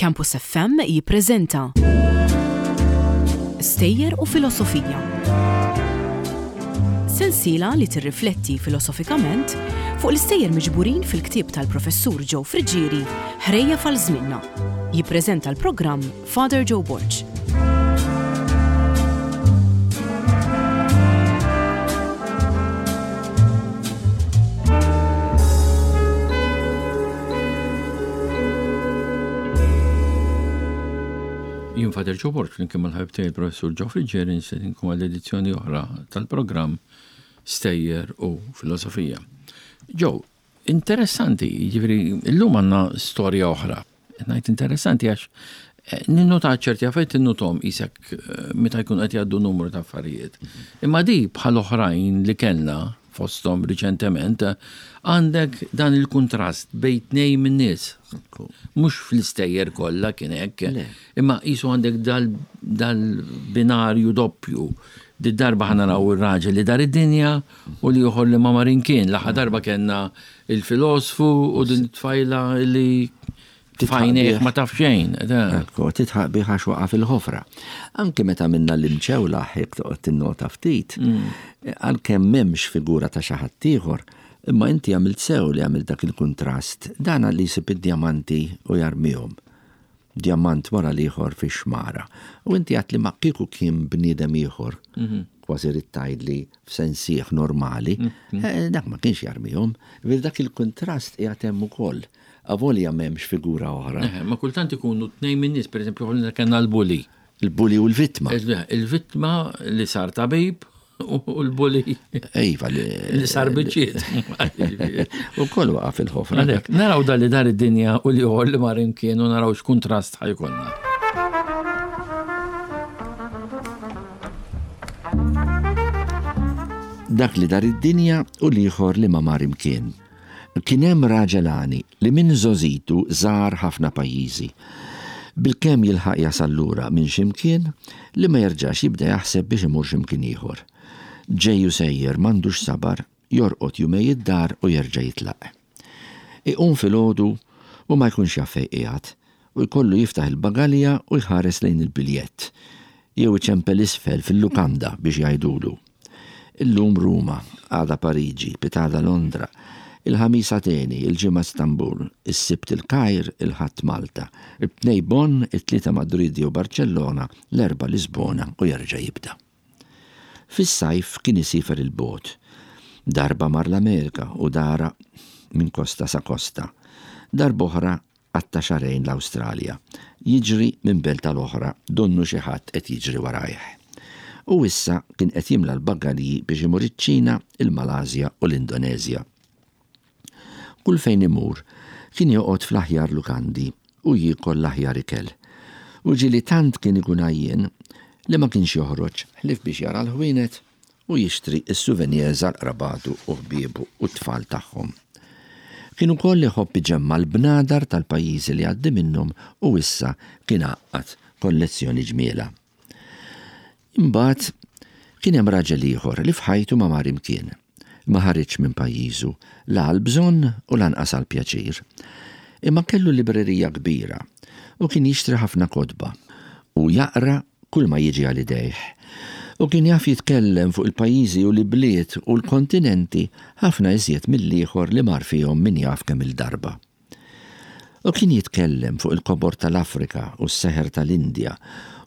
Campus FM jippreżenta Stejjer u Filosofija. Sensiela li tirrifletti filosofikament fuq l-istejjer miġburin fil-ktieb tal-Professur Joe Friggieri Ħrejjef għal Żmienna. Jippreżenta l-programm Father Joe Borg. Jien Father Joe Borg flimkien mal-ħabib tiegħi il-Professur Joe Friggieri nistedinkom għal edizzjoni oħra tal-programm Stejjer u Filosofija. Joe, Interessanti, jiġifieri llum għandna storja oħra. Ngħid interessanti għax eh, ninnota ċerti affarijiet tinnutom isek eh, meta jkun qed jgħaddu numru ta' affarijiet. Imma di bħal oħrajn li kellna fosthom riċentement għandek dan il-kuntrast bejn tnejn min-nies. Mhux fl-istejjer kollha kien hekk, imma qisu għandek dal-binarju doppju. Did-darba ħa naraw ir-raġel li dar id-dinja U l-ieħor li ma mar imkien. L-aħħar darba kellna il-filosfu u din it-tfajla li f'għajnejh ma taf xejn. Ekku, titħaq bih għax waqa' fil-ħofra. Anki meta minna l-imċewla jekk toqgħod tinnota ftit, mm. għalkemm m'hemmx figura ta' xi ħadd ieħor, imma inti għamilt sew li għamilt dak il-kuntrast, dan li jsib id-djamanti u jarmihom. djamant wara l-ieħor fix-xmara. U inti għedt li ma kieku kien bniedem ieħor, mhm. kważi rrid tgħidli f'sensieħ normali, mhm. eh, dak ma kienx jarmihom. Vir dak il-kuntrast qiegħed hemm ukoll. Avolja m'hemmx figura oħra. Eh, ma kultant ikunu tnejn minn nies, pereżempju ħolna kellna l-buli. Il-buli u l-vittma. Il-vittma li sar tabib u l-buli. Iva li. Li sar biċċiet. U koll waqa' fil-ħofra. Għalhekk, naraw dal li dar id-dinja u li li mar imkien u naraw x'kuntrast ħajkonna. Dak li dar id-dinja u l-ieħor li ma mar imkien. Kien hemm raġel għani li minn żgħożitu żar ħafna pajjiżi. Bilkemm jilħaq jasal lura minn xi mkien li ma jerġax jibda jaħseb biex imur xi mkien ieħor. Ġej u sejjer m'għandux sabar, jorqod jumej id-dar u jerġa' jitlaq. Iqum filgħodu u ma jkunx jaf fejn qiegħed u jkollu jiftaħ il-bagalja u jħares lejn il-biljett, jew iċempel isfel fil-lukanda biex jgħidulu. Illum Ruma, għada Pariġi, pitgħada Londra, il-Ħamis Ateni, il-Ġimgħa Istanbul, is-Sibt il-Kajr, il-Ħadd Malta, it-Tnejn Bonn, it-Tlieta Madrid jew Barċellona, l-Erbgħa Lisbona u jerġa' jibda. Fis-sajf kien isiefer 'il bogħod. Darba mar l-Amerika u dara minn kosta sa kosta. Darb'oħra Qatta' xahrejn l-Awstralja, jiġri minn belt għal oħra donnu xi ħadd qed jiġri warajh. U issa kien qed jimla l-bagalji biex imur iċ-Ċina, il-Malasja u l-Indoneżja. Kull fejn imur, kien joqgħod fl-aħjar lukandi u jiekol l-aħjar ikel. U ġieli tant kien ikun għajjien li ma kienx joħroġ ħlief biex jara l-ħwienet u jixtri s-souvenirs għal qrabatu u ħbiebu u t-tfal tagħhom. Kien ukoll iħobb iġemma' l-bnadar tal-pajjiżi li għaddi minnhom u issa kien għaqqad kollezzjoni ġmielha. Imbagħad kien hemm raġel ieħor li f'ħajtu ma mar imkien. Ma ħariġx minn pajjiżu, la għall-bżonn u lanqas għall-pjaċir. Imma kellu librerija kbira u kien jixtri ħafna kotba u jaqra kulma jiġi għal idejh. U kien jaf jitkellem fuq il-pajjiżi u l-ibliet u l-kontinenti ħafna iżjed mill-ieħor li mar fihom min jaf kemm-il darba. U kien jitkellem fuq il-kobor tal-Afrika u s-seħer tal-Indja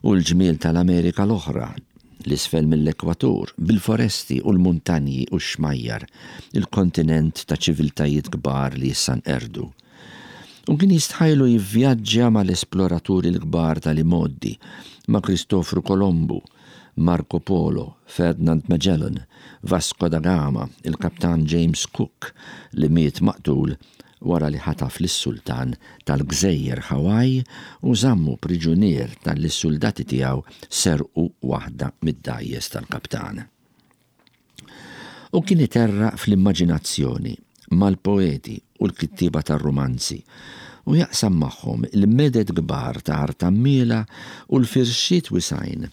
u l-ġmiel tal-Amerika l-oħra, 'l isfel mill-ekwatur, bil-foresti u l-muntanji u x-xmajjar, il-kontinent ta' ċiviltajiet kbar li issa nqerdu. U kien jistħajlu jivvjaġġa mal-esploraturi l-kbar tal-imgħoddi, ma' Kristofru Kolombu, Marco Polo, Ferdinand Magellan, Vasco da Gama, il-Kaptan James Cook li miet maqtul wara li ħataf lis-sultan tal-gżejjer Hawaii u żammu priġunier talli s-suldati tiegħu serqu waħda mid-dgħajjes tal-kaptan. U kien iterraq fl-immaġinazzjoni mal-poeti u l-kittieba tar-rumanzi u jaqsam magħhom il-meded kbar ta' art għammiela u l-firxiet wisgħin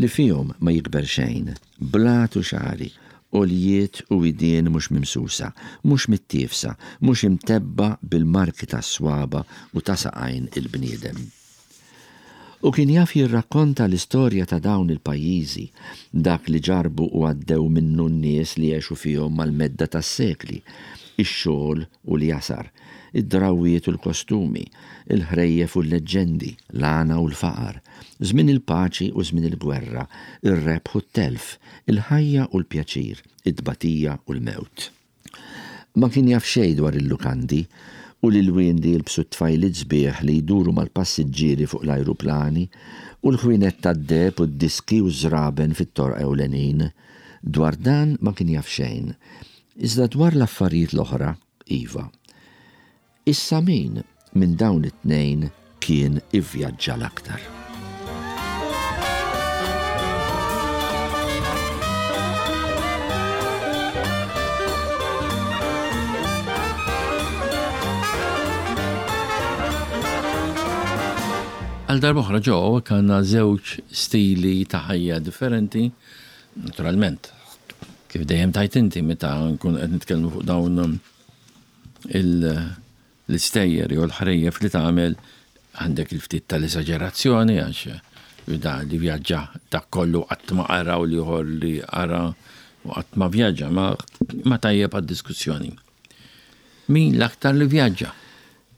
li fihom ma jikber xejn, blat u xagħri. Għoljiet u widien mhux mimsusa, mhux mittiefsa, mhux imtebbgħa bil-marki tas-swaba' u ta' saqajn il-bniedem. U kien jaf jirrakkonta l-istorja ta' dawn il-pajjiżi, dak li ġarrbu u għaddew minnu n-nies li għexu fihom mal-medda tas-sekli, ix-xogħol u l-jasar, id-drawwiet u l-kostumi, il-ħrejjef u l-leġġendi, l-għana u l-faqar, żmien il-paċi u żmien il-gwerra, ir-rebħ u t-telf, il-ħajja u l-pjaċir, it-tbatija u l-mewt. Ma kien jaf xejn dwar il-lukandi u l-ilwien li jilbsu t-tfajliet sbieħ li jduru mal-passiġġieri fuq l-ajruplani u l-ħwienet tad-deheb u d-diski u ż-żraben fit-toroq ewlenin. Dwar dan ma kien jaf xejn. Iżda dwar l-affarijiet l-oħra, iva. Issa min minn dawn it-tnejn kien ivvjaġġa l-aktar? Għal darb'oħra ġo hawnhekk għandna żewġ stili ta' ħajja differenti, naturalment, kif dejjem tajt inti meta nkunu qed nitkellmu fuq dawn l-istejjer jew l-ħrejjef li tagħmel għandek il-ftit tal-esaġerazzjoni għax da li vjaġġa dak kollu qatt ma qara u l-ieħor li qara u qatt ma vjaġġa ma tajjeb għad-diskussjoni. Min l-aktar li vjaġġa?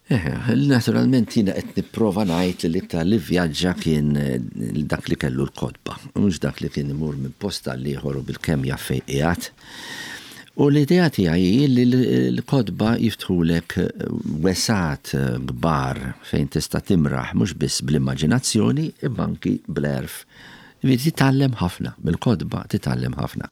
Eħe, naturalment jiena qed nipprova ngħid li l-iktar li vvjaġġa kien dak li kellu l-kotba, mhux dak li kien imur minn post għal ieħor u bilkemm jaf fejn qiegħed. U l-idea tiegħi hi li l-kotba jiftħulek wesgħat kbar fejn tista' timraħ mhux biss bl-immaġinazzjoni imma anki bl-għerf. Jiġifieri titgħallem ħafna, mill-kotba titgħallem ħafna.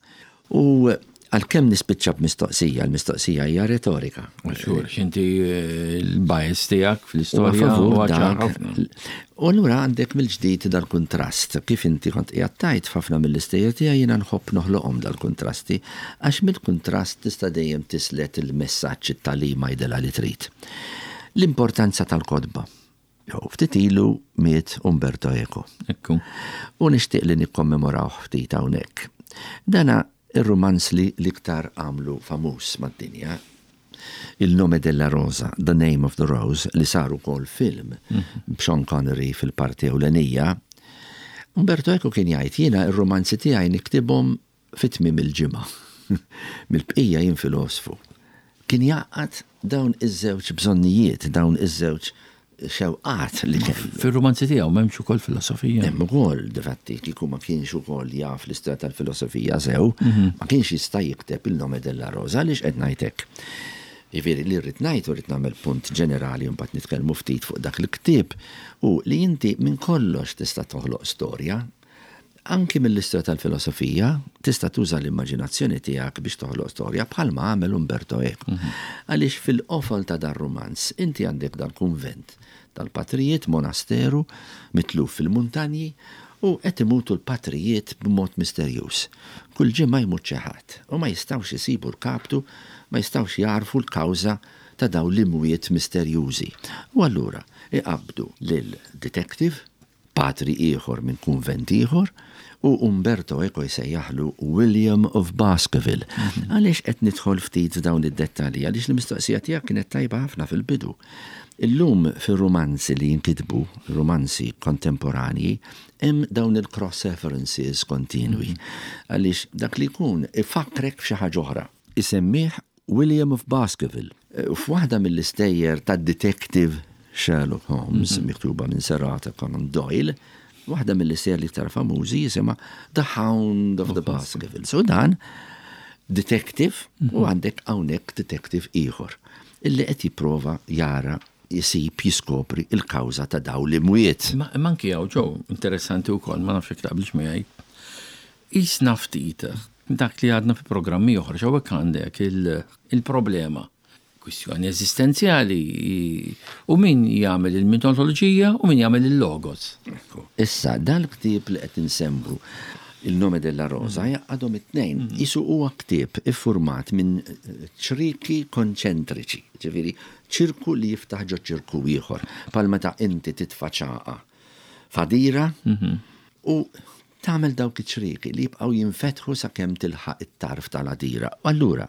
U għalkemm nispiċċa b'mistoqsija, l-mistoqsija hija retorika. Xur, x'inti eh, l-bias tiegħek fl-istorja huwa ċar ħafna. U allura għandek mill-ġdid dal-kuntrast, kif inti kont qiegħed tgħid f'ħafna mill-istejjer tiegħi jiena nħobb noħloqhom dal-kuntrasti, għax mill-kuntrast tista' dejjem tislet il-messaġġ it-tagħlima jidilha li trid. L-importanza tal-kotba. Jew ftit ilu miet Umberto Eco. Ekku. U nixtieq li nikkommemorawh ftit hawnhekk. Dana ir-rumanz li l-iktar għamlu famuż mad-dinja. Il Nome della Rosa, The Name of the Rose, li sar ukoll film b'Sean Connery fil-parti ewlenija. Umberto Eco kien jgħid jiena r-rumanzi tiegħi niktibhom Fi tmiem il-ġimgħa. Mill-bqija jien filosfu. Kien jgħaqqad dawn iż-żewġ bżonnijiet, dawn iż-żewġ xewqat li kellu. Fir-rumanzi tiegħu m'hemmx ukoll filosofija? Hemm ukoll, difatti, kieku ma kienx ukoll jaf l-istorja tal-filosofija sew, ma kienx jista' jikteb Il Nome della Rosa. Għaliex qed ngħid hekk? Jiġifieri li rrid ngħid u rrid nagħmel punt ġenerali u mbagħad nitkellmu ftit fuq dak il-ktieb hu li inti minn kollox tista' toħloq storja. Anki mill-istorja tal-filosofija, tista' tuża l-immaġinazzjoni tiegħek biex toħloq storja bħalma għamel Umberto Eco. Għaliex fil-qofol ta' dar-rumanz inti għandek dal-kunvent tal-patrijiet, monasteru mitluf fil-muntanji u qed imutu l-patrijiet b'mod misterjuż. Kull ġimgħa jmut xi ħadd u ma jistgħux isibu l-kaptu, ma jistgħux jagħrfu l-kawża ta' dawn l-imwiet misterjużi. U allura iqabbdu lil detective patri ieħor minn kunvent ieħor, u Umberto Eco jsejjaħlu William of Baskerville. Għaliex qed nidħol ftit f'dawn id-dettalji? Għaliex l-mistoqsija tiegħek kienet tajba ħafna fil-bidu. Illum fir-rumanzi li jinkitbu, rumanzi kontemporanji, hemm dawn il-cross references kontinwi. Għaliex dak li jkun ifakkrek f'xi ħaġa oħra. Isemmih William of Baskerville. F'waħda mill-istejjer tad-detective Sherlock Holmes, miktuba minn Sir Arthur Conan Doyle, waħda mill-istejjer l-iktar famużi jisimha The Hound of the Baskervilles. U dan detective u għandek hawnhekk detective ieħor illi qed jipprova jara jsib jiskopri l-kawża ta' dawn l-imwiet. Imma anki hawn Joe, interessanti wkoll, ma nafx jekk taqbilx miegħi, qisna ftit dak li għadna fi programmi oħra, x'hawnhekk għandek il-problema, kwistjoni eżistenzjali, u min jagħmel il-mitoloġija u min jagħmel il-logos. Issa, dal-ktieb li qed insemmu, Il Nome della Rosa, jgħaqqadhom it-tnejn. Qisu huwa ktieb iffurmat minn ċrieki konċentriċi, ġifieri ċirku li jiftaħ ġo ċirku ieħor, bħal meta inti titfa' ċagħqa f'għadira u Tagħmel dawk iċ-ċrieki li jibqgħu jinfetħu sakemm tilħaq it-tarf tal-għadira. U allura,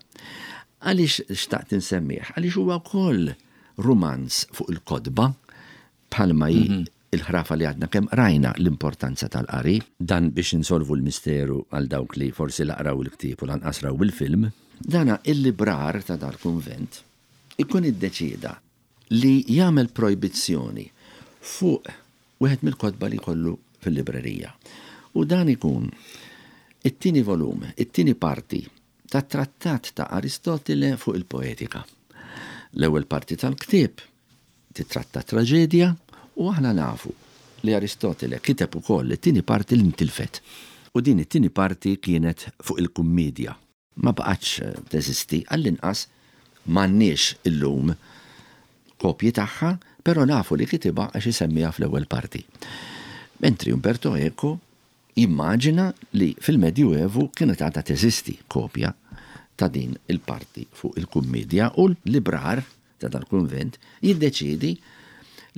għaliex xtaqt insemmih? Għaliex huwa wkoll rumanz fuq il-kotba, bħalma hi il-ħrafa li għadna kemm qrajna l-importanza tal-qari. Dan biex insolvu l-misteru għal dawk li forsi la qraw il-ktieb u lanqas raw il-film. Dana il-librar ta' dal-kunvent ikun iddeċieda li jagħmel projbizzjoni fuq wieħed mill-kotba li jkollu fil-librerija. U dan ikun it-tieni volum, it-tieni parti tat-trattat ta' Aristotile fuq il-poetika. L-ewwel parti tal-ktieb titratta t-traġedja u aħna nafu li Aristotile kiteb ukoll it-tieni parti li ntilfet. U din it-tieni parti kienet fuq il-kummiedja. Ma baqgħetx teżisti, għall-inqas m'għandniex illum kopji tagħha, però nafu li kitibha għax isemmiha fl-ewwel parti. Mentri Umberto Eco jimmaġina li fil-Medjuevu kienet għadha teżisti kopja ta' din il-parti fuq il-kummiedja u l-librar ta' dal-kunvent jiddeċiedi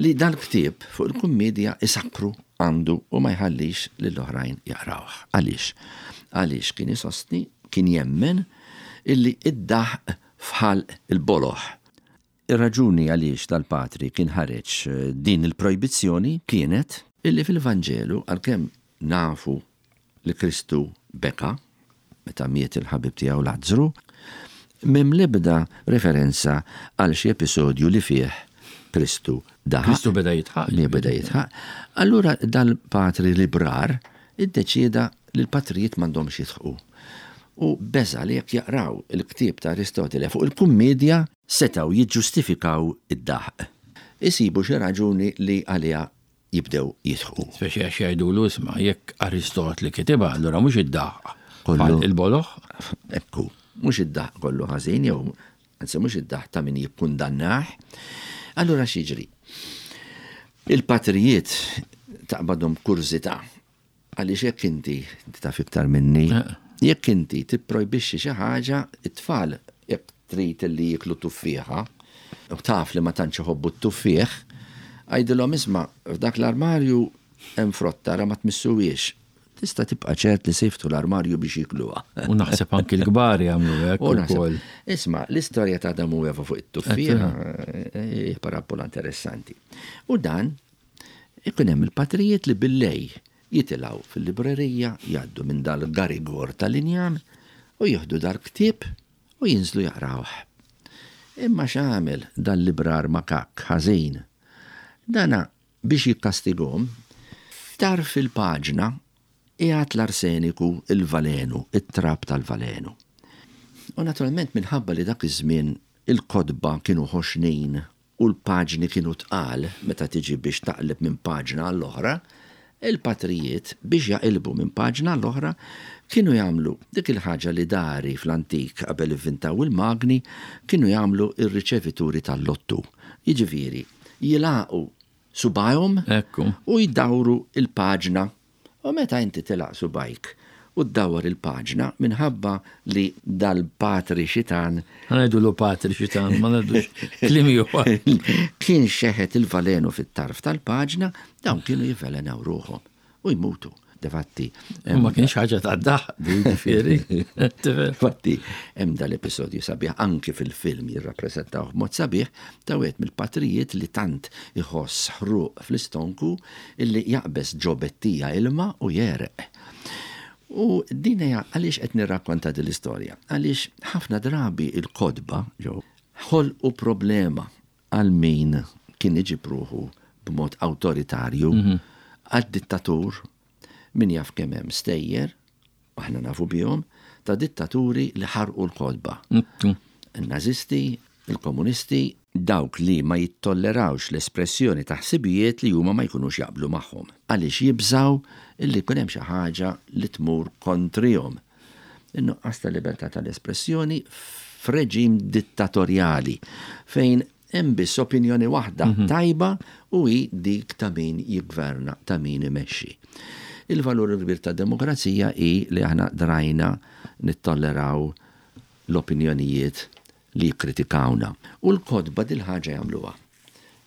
li dal-ktieb fuq il-kummiedja isakkru għandu u ma jħallix lill-oħrajn jaqrawh. Għaliex? Għaliex kien isostni, kien jemmen illi id-daħq f'ħalq il-boloh. Ir-raġuni għaliex dal-patri kien ħareġ din il-projbizzjoni kienet illi fil-Vanġelu, għalkemm nafu li Kristu beka meta miet il-ħabib tiegħu Lazzru, m'hemm l-ebda referenza għal xi episodju li fih Kristu daħaq. Kristu beda jidħaq. Li beda jidħaq. Allura dal-patri librar iddeċieda li l-patrijiet m'għandhomx jidħqu. U beża' li jekk jaqraw il-ktieb ta' Aristotile fuq il-kummiedja setgħu jiġġustifikaw id-daħq. Isibu xi raġuni li għaliha jibdew jidħqu. Speċi għax jgħidulu isma' jekk Aristotli kitibha, allura mhux id-daħq kollu il-boloh. Ekku, mhux id-daħq kollu ħażin jew anzi mhux id-daħq ta' min jikkundannah. Allura x'jiġri? Il-patrijiet taqbadhom kurżità Għaliex jekk inti, inti taf iktar minni, eh. jekk inti tipprojbixxi xi ħaġa, it-tfal jekk trid li jiklu tuffieħa, u taf li ma tantx iħobbu t-tuffieħ, għidilhom isma' f'dak l-armarju hemm frotta ra ma tmissuhiex. Tista' tibqa' ċert li se jiftħu l-armarju biex jikluha. U naħseb anki l-kbar jagħmlu hekk ukoll. Isma' l-istorja ta' Adam u Eva fuq it-tuffieħa eh, parabola interessanti. U dan Ikun hemm il-patrijiet li bil-lejl jitilgħu fil-librerija, jgħaddu minn dal-garigor tal-injam u jieħdu dal-ktieb u jinżlu jaqrawh. Imma x'għamel dal-librar makakk ħażin? Dana biex jikkastigahom, f'tarf il-paġna qiegħed l-arseniku, il-valenu, it-trab tal-valenu. U naturalment minħabba li dak iż-żmien il-kotba kienu ħoxnin u l-paġni kienu tqal meta tiġi biex taqleb minn paġna għall-oħra, il-patrijiet biex jaqilbu minn paġna għall-oħra kienu jagħmlu dik il-ħaġa li dari fl-antik qabel ivvintaw il-magni kienu jagħmlu r-riċevituri tal-lottu. Jiġifieri jilagħqu subgħajhom u jdawru l-paġna U meta inti tilgħaq subgħajk u ddawwar il-paġna minħabba li dal-patri xitan. Ħa ngħidulu patri xitan, ma ngħidux kliem ieħor. Kien xeħet il-valenu fit-tarf tal-paġna, dawn kienu jivvelenaw ruħhom u jmutu. Defatti. Ma kienx ħaġa ta' daħ, ġifieri. Fatti, hemm dal-episodju sabiħ anki fil-film jirrappreżentaw b'mod sabiħ ta' wieħed mill-patrijiet li tant iħoss ħruq fl-istonku illi jaqbeż ġo bettija ilma u jegħreq. U din hija għaliex qed nirrakkonta din l-istorja? Għaliex ħafna drabi l-kotba ġew ħolqu problema għal min kien iġib ruħu b'mod awtoritarju, mhm. għad-dittatur min jaf kemm hemm stejjer, aħna nafu bihom, ta' dittaturi li ħarqu l-kotba. Mhm. Il-Nazisti, il-Komunisti, dawk li ma jittollerawx l-espressjoni ta' ħsibijiet li huma ma jkunux jaqblu magħhom, għaliex jibżgħu illi jkun hemm xi ħaġa li tmur kontrihom. In-nuqqas ta' libertà tal-espressjoni f'reġim dittatorjali fejn hemm biss opinjoni waħda tajba u hi dik ta' min jiggverna, ta' min imexxi. Il-valur il-kbir tad-demokrazija hi li aħna drajna nittolleraw l-opinjonijiet li jikkritikawna. U l-kotba dil-ħaġa jagħmluha.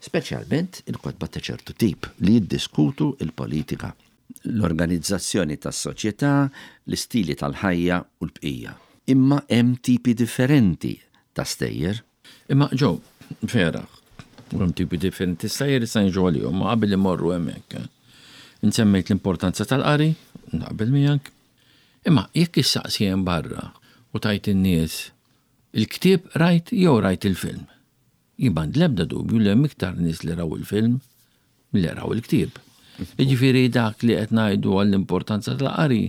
Speċjalment il-kotba ta' ċertu tip li jiddiskutu l-politika. L-organizzazzjoni tas-soċjetà, l-istili tal-ħajja u l-bqija. Imma hemm tipi differenti ta' stejjer. Imma Joe, vera, u hemm tipi differenti stejjer issa niġu għalihom, ma qabel immorru hemmhekk. Eh, insemmejt l-importanza tal-qari, naqbel miegħek. Imma jekk issaqsi hemm barra u tajt in-nies il-ktieb rajt jew rajt il-film. Jien m'għandi l-ebda dubju li hemm iktar nies li raw il-film milli raw il-ktieb. Jiġifieri dak li qed ngħidu għall-importanza tal-qari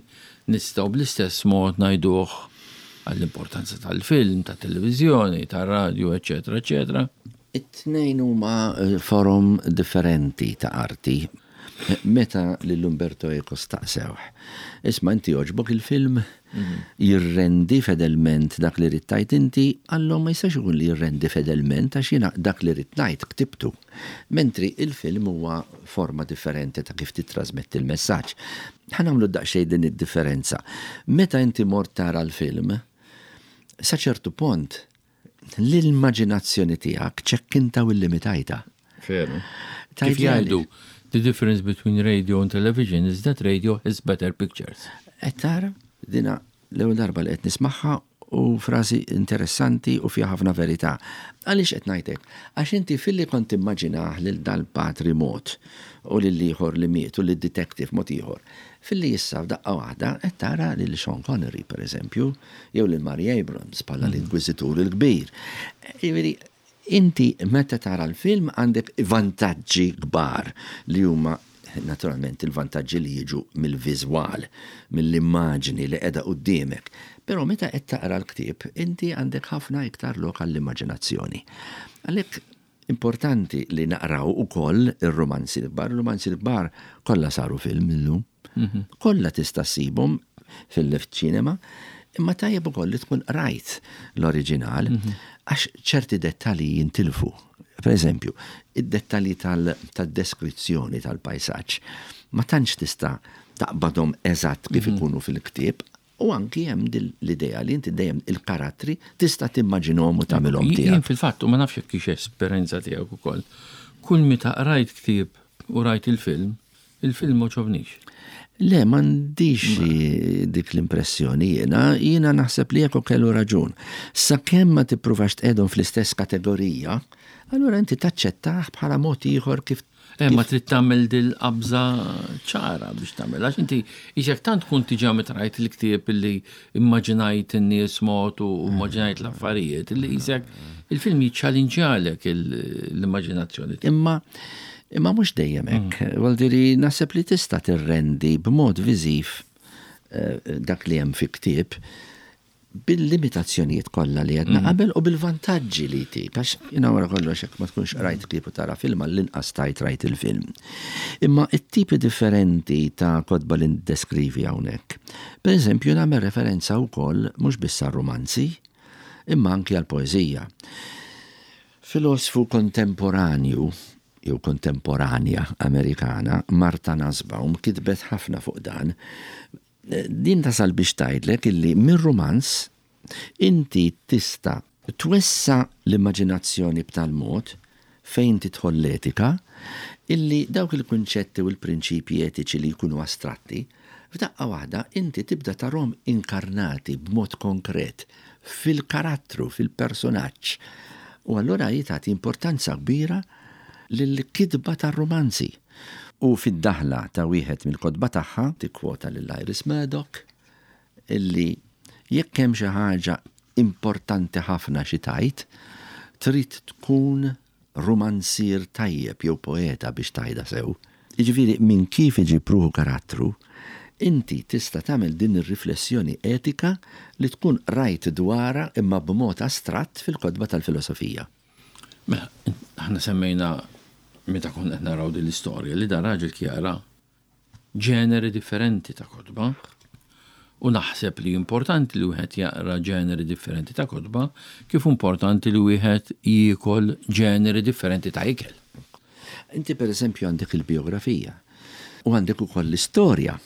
nistgħu bl-istess mod ngħiduh għall-importanza tal-film, tat-televiżjoni, tar-radju, eċċetera, eċċetera. It-tnejn huma forom differenti ta' arti. Meta lil Umberto Eco staqsewh, Isma' inti jogħġbok il-film? Jirrendi fedelment dak li ridt tgħid inti? Qallhom ma jistax ikun li jirrendi fedelment għax jiena dak li ridt ngħid ktibtu. Mentri il-film huwa forma differenti ta' kif tittrasmetti l-messaġġ. Ħa nagħmlu daqsxejn din id-differenza. Meta inti mort tara l-film, sa ċertu pont l-immaġinazzjoni tiegħek ċekkinta u illimitajta. Veru. Kif jgħidu, the difference between radio and television is that radio has better pictures. Qed tara, dina l-ewwel darba li qed nismagħha u frażi interessanti u fiha ħafna verità. Għaliex qed ngħidlek? Għax inti filli kont timmaġinah lil dal-patri mod u lil ieħor li miet u lid-detective mod ieħor. Filli issa f'daqqa waħda qed tara lil Sean Connery pereżempju, jew lil Mary Abrams bħala l-Inkwiżitur il-Kbir. Jiġifieri, inti meta tara l-film għandek vantaġġi kbar li huma naturalment il-vantaġġi li jiġu mill-viżwal, mill-immaġni li qiegħda quddiemek. Però meta qed taqra l-ktieb, inti għandek ħafna iktar lok għall-immaġinazzjoni. Għalhekk Importanti li naqraw ukoll ir-rumanzi l-kbar. Ir-rumanzi l-kbar kollha saru film illum. Mhm. Kollha tista' ssibhom fil-ċinema, imma tajjeb ukoll li tkun qrajt l-oriġinal mhm. għax ċerti dettalji jintilfu. Per eżempju, id-dettalji tad-deskrizzjoni tal-pajsaġġ ma tantx tista' taqbadhom eżatt kif mhm. ikunu fil-ktieb U anki hemm din l-idea li inti dejjem il-karattri tista' timmaġinhom u tagħmilhom tiegħek. Jien fil-fatt, u ma nafx jekk hix esperjenza tiegħek ukoll, kull meta qrajt ktieb u rajt il-film, il-film m'għoġobnix. Le, m'għandix dik l-impressjoni jiena, jiena naħseb li Eco kellu raġun. Sakemm ma tippruvax tqegħdhom fl-istess kategorija, allura inti taċċettah bħala mod ieħor kif Eh, ma trid tagħmel dil-qabża ċara biex tagħmel. Għax inti isek tant tkun diġà meta rajt il-ktieb illi immaġinajt in-nies mod u immaġinajt l-affarijiet illi isek il-film jiċċalinġjalek l-immaġinazzjoni. Imma imma mhux dejjem hekk. Mm. Vuol dire naħseb li tista' tirrendi b'mod viżiv eh, dak li hemm fi ktieb bil-limitazzjonijiet kollha li għedna mm. qabel u bil-vantaġġi li jtik, għax jina wara kollox jekk ma tkunx rajt ktieb u tara film għall-inqas tajt rajt il-film. Imma it-tipi differenti ta' kotba li ndeskrivi hawnhekk. Per eżempju, nagħmel referenza wkoll mhux biss għar-rumanzi, imma anki għall-poeżija. Filosfu kontemporanju jew kontemporanja Amerikana, Martha Nussbaum, kitbet ħafna fuq dan. Din tasal biex tgħidlek illi mir-rumanz inti tista' twessa' l-immaġinazzjoni b'tal mod, fejn tidħol l-etika, illi dawk il-kunċetti u l-prinċipji etiċi li jkunu astratti, f'daqqa waħda inti tibda tarhom inkarnati b'mod konkret fil-karattru, fil-persunaġġ. U allura hi tagħti importanza kbira lill-kitba tar-rumanzi. U fid-daħla ta' wieħed mill-kotba tagħha tikkwota lil Iris Murdoch illi jekk hemm xi ħaġa importanti ħafna xi tgħid, trid tkun rumanzier tajjeb jew poeta biex tgħidha sew. Jiġifieri minn kif iġib ruħu karattru, inti tista' tagħmel din ir-riflessjoni etika li tkun qrajt dwarha imma b'mod astratt fil-kotba tal-filosofija. Mela, aħna semmejna meta konna qed naraw din l-istorja li dan raġel kjara ġeneri differenti ta' kotba u naħseb li importanti li wieħed jaqra ġeneri differenti ta' kotba kif importanti li wieħed jiekol ġeneri differenti ta' ikel. Inti per eżempju għandek il-biografija u għandek ukoll l-istorja.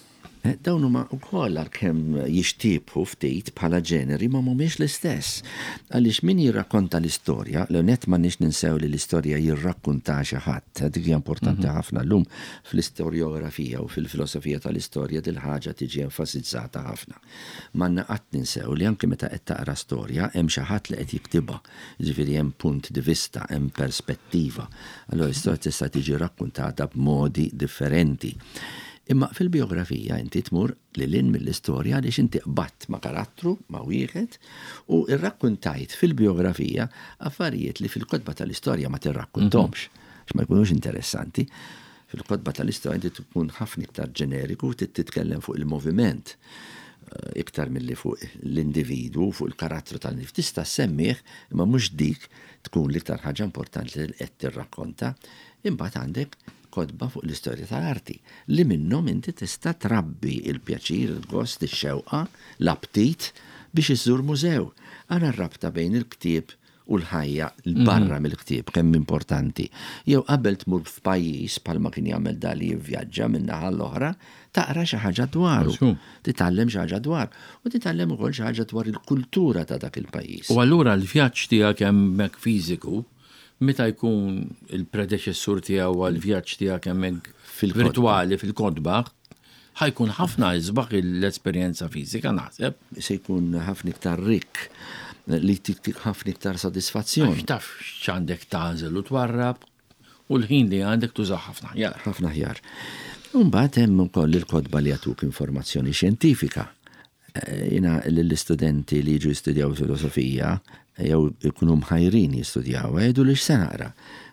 Dawn huma wkoll għalkemm jixtiebħu ftit bħala ġeneri ma mhumiex l-istess. Għaliex min jirrakkonta l-istorja, l-ewwel nett m'għandniex ninsew li l-istorja jirrakkuntaha xi ħadd, dik hija importanti ħafna llum fl-istorjografija u fil-filosofija tal-istorja dil-ħaġa tiġi enfasizzata ħafna. M'għandna qatt ninsew li anki meta qed taqra storja hemm xi ħadd li qed jiktibha, jiġifieri hemm punt di vista, hemm perspettiva. Allura l-istorja tista' tiġi rakkuntata b'modi differenti. Imma fil-bijografija inti tmur lil hinn mill-istorja għaliex inti qbadt ma' karattru, ma' wieħed, u rrakkuntajt fil-bijografija affarijiet li fil-kotba tal-istorja ma tirrakkunthomx, għax ma jkunux interessanti. Fil-kotba tal-istorja inti tkun ħafna iktar ġeneriku, trid titkellem fuq il-moviment iktar milli fuq l-individwu, fuq il-karattru tal-individwu. Tista' ssemmih, imma mhux dik tkun l-iktar ħaġa importanti li qed tirrakkonta. Imbagħad għandek kotba fuq l-istorja tal-arti li minnhom inti tista' trabbi l-pjaċir, il-gost, ix-xewqa, l-aptit biex iżżur mużew. Ara r-rabta bejn il-ktieb u l-ħajja 'l barra mill-ktieb kemm importanti. Jew qabel tmur f'pajjiż bħalma kien jagħmel Dali jivvjaġġa minn naħa l-oħra, taqra xi ħaġa dwaru. Titgħallem xi ħaġa dwaru. U titgħallem ukoll xi ħaġa dwar il-kultura ta' dak il-pajjiż. U allura l-vjaġġ tiegħek hemmhekk fiżiku, meta jkun il-predeċessur tiegħu għall-vjaġġ tiegħek hemmhekk virtwali fil-kotba, Ħa jkun ħafna isbaħ l-esperjenza fiżika naħseb. Se jkun ħafna iktar rikk, li jtik ħafna iktar sodisfazzjon. Għax taf x'għandek tagħżel u twarrab u l-ħin li għandek tużah ħafna aħjar. Ħafna aħjar. U mbagħad hemm ukoll il-kotba li jagħtuk informazzjoni xjentifika. Jiena lill-istudenti li jiġu jistudjaw filosofija, jew ikunu mħajrin jistudjaw, jgħidu li x'se naqra.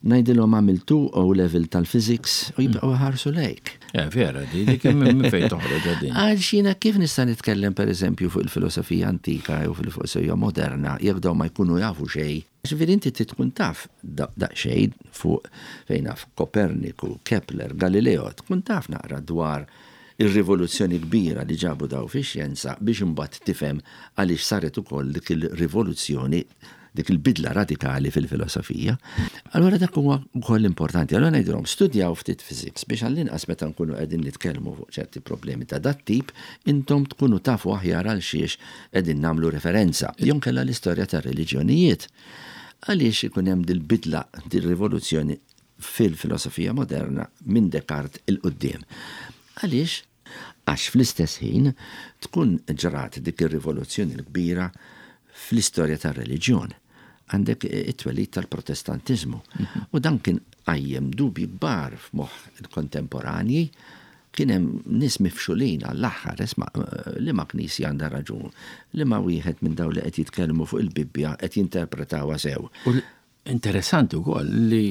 Ngħidilhom għamiltu O level tal-physics u jibqgħu ħarsu lejk. Eh, vera, di dik minn fejn toħroġ din. Għax jiena kif nista' nitkellem pereżempju fuq il-filosofija antika jew fil-filosofija moderna jekk dawn ma jkunu jafu xejn. Ġifieri inti trid tkun taf daqsxejn fuq fejn naf Koperniku, Kepler, Galileo, tkun taf naqra dwar ir-rivoluzzjoni kbira li ġabu dawn fix-xjenza biex imbagħad tifhem għaliex saret ukoll dik il-rivoluzzjoni, dik il-bidla radikali fil-filosofija. Allura dak huwa wkoll importanti. Allura ngħidilhom studjaw ftit physics biex għall-inqas meta nkunu qegħdin nitkellmu fuq ċerti problemi ta' dat-tip, intom tkunu tafu aħjar għal xiex qegħdin nagħmlu referenza. Jew inkella l-istorja tar-reliġjonijiet. Għaliex ikun hemm dil-bidla, dil-rivoluzzjoni fil-filosofija moderna minn Descartes 'il quddiem? Għaliex? Għax fl-istess ħin tkun ġrat dik ir-rivoluzzjoni l-kbira fl-istorja tar-reliġjon. Għandek it-twelid tal-Protestantiżmu. U dan kien qajjem dubji kbar f'moħħ il-kontemporanji. Kien hemm nies mifxulin għall-aħħar, isma' liema knisja għandha raġun, liema wieħed minn dawn li qed jitkellmu fuq il-Bibbja qed jinterpretawha sew. U interessanti wkoll li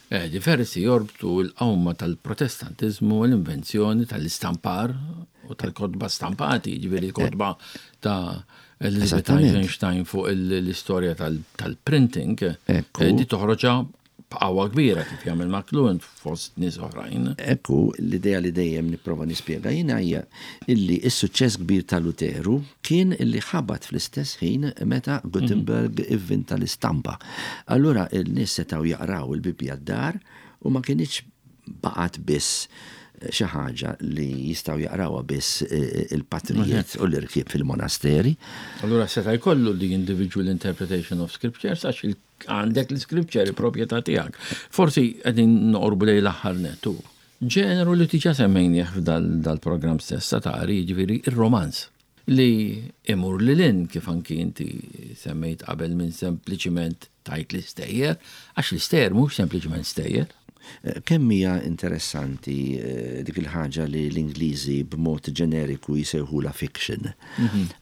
diversi jorbtu l-qawma tal-Protestantiżmu u l-invenzjoni tal-istampar u tal-kotba stampati, jiġifieri l-kotba ta' Elizabeth Eisenstein fuq l-istorja tal-printing, di toħroġha b'qawwa kbira kif jagħmel McLuhan fost nies oħrajn. Ekku, l-idea li dejjem nipprova nispjega jiena hija illi s-suċċess kbir ta' Luteru kien illi ħabat fl-istess ħin meta Gutenberg ivvinta l-istampa. Allura n-nies setgħu jaqraw il-Bibbja d-dar u ma kinitx baqgħet biss xi ħaġa li jistgħu jaqrawha biss il-patrijiet u l-irkieb fil-monasteri. Allura seta' jkollu the individual interpretation of scriptures għax Għandek l-scripture proprjetà tiegħek. Forsi qegħdin noqorbu lejn l-aħħar nett u ġeneru li diġà semmejnieh f'dal-programm stess ta' tari, jiġifieri ir-romanz li imur lil hinn kif anki inti semmejt qabel minn sempliċiment tgħid l-istejjer, għax l-istejjer mhux sempliċiment stejjer. Kemm hija interessanti dik il-ħaġa li l-Ingliżi b'mod ġeneriku jsejħulha fiction.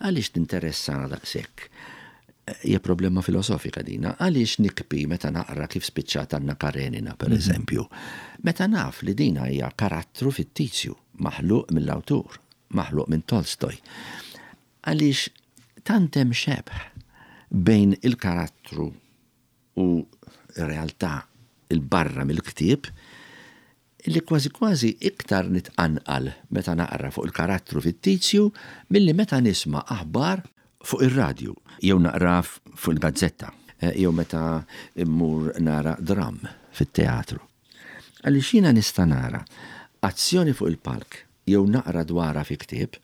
Għaliex tinteressana daqshekk? Hija problema filosofika dina. Għaliex nikbi meta naqra kif spiċċat Anna Karenina, per eżempju? Meta naf li dina hija karattru fittizju, maħluq mill-awtur, maħluq minn Tolstoj. Għaliex tant hemm xebh bejn il-karattru u r-realtà 'l barra mill-ktieb li kważi kważi iktar nitqanqal meta naqra fuq il-karattru fittizju milli meta nisma' aħbar fuq ir-radju jew naqra fuq il-gazzetta jew meta mmur nara dramm fit-teatru. Għaliex jiena nista' nara azzjoni fuq il-palk. jew naqra dwarha fi ktieb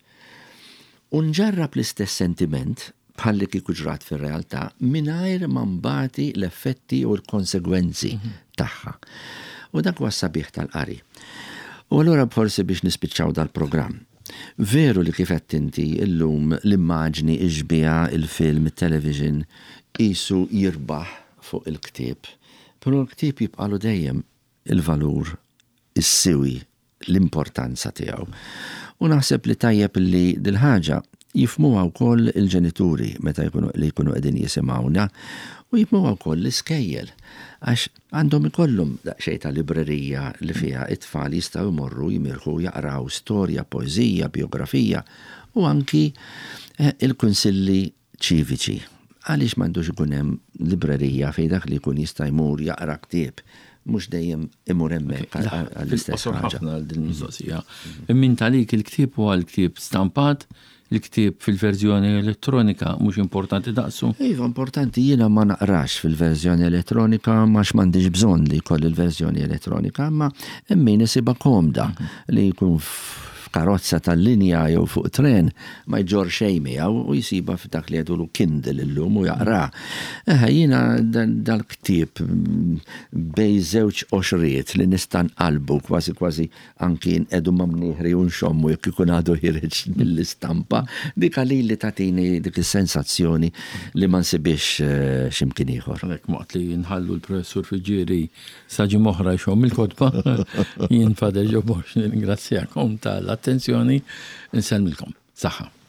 u nġarrab l-istess sentiment bħal li kieku ġrat fir-realtà mingħajr ma nbati l-effetti u l-konsegwenzi tagħha. U dak huwa s-sabiħ tal-qari. U allura forsi biex nispiċċaw dal-programm. Veru li kif għedt inti illum l-immaġni, ix-xbieha, il-film, it-television qisu jirbaħ fuq il-ktieb, però l-ktieb jibqagħlu dejjem il-valur, is-siwi, l-importanza tiegħu. U naħseb li tajjeb li dil-ħaġa jifhmuha wkoll il-ġenituri meta jkunu li jkunu qegħdin jisimgħuna u jifhmuha wkoll l-iskejjel għax għandhom ikollhom daqsxejn ta' librerija li fiha t-tfal jistgħu jmorru jimirħu jaqraw storja, poeżija, bijografija u anki eh, il-kunsilli ċiviċi. Għaliex m'għandux ikun hemm librerija fejn dak li jkun jista' jmur jaqra ktieb, mhux dejjem imur hemmhekk għall-istess ħaġa. Ħafna għal din il-mistoqsija. Imma int għalik il-ktieb huwa l-ktieb stampat, il-ktieb fil-verżjoni elettronika mhux importanti daqsu? Iva importanti, jiena ma naqrax fil-verżjoni elettronika għax m'għandix bżonn li jkolli l-verżjoni elettronika, imma hemm min isibha komda li jkun f'karozza tal-linja jew fuq tren ma jġorr xejn miegħu u jsibha f'dak li jgħidulu Kindle illum u jaqra. Eħe, jiena dal-ktieb bejn żewġ qoxriet li nista' nqallbu kważi kważi anki nqegħdu ma' mnieħri u nxommu jekk ikun għadu ħiereġ mill-istampa, dik għalili tagħtini dik is-sensazzjoni li ma nsibhiex x'imkien ieħor. Għalhekk waqt li nħallu l-Professur Friggieri Sa ġimgħa oħra jxomm il-kotba, jien Father Joe Borg nirringrazzjakom tal-attenzjoni, insellmilkom. Saħħa.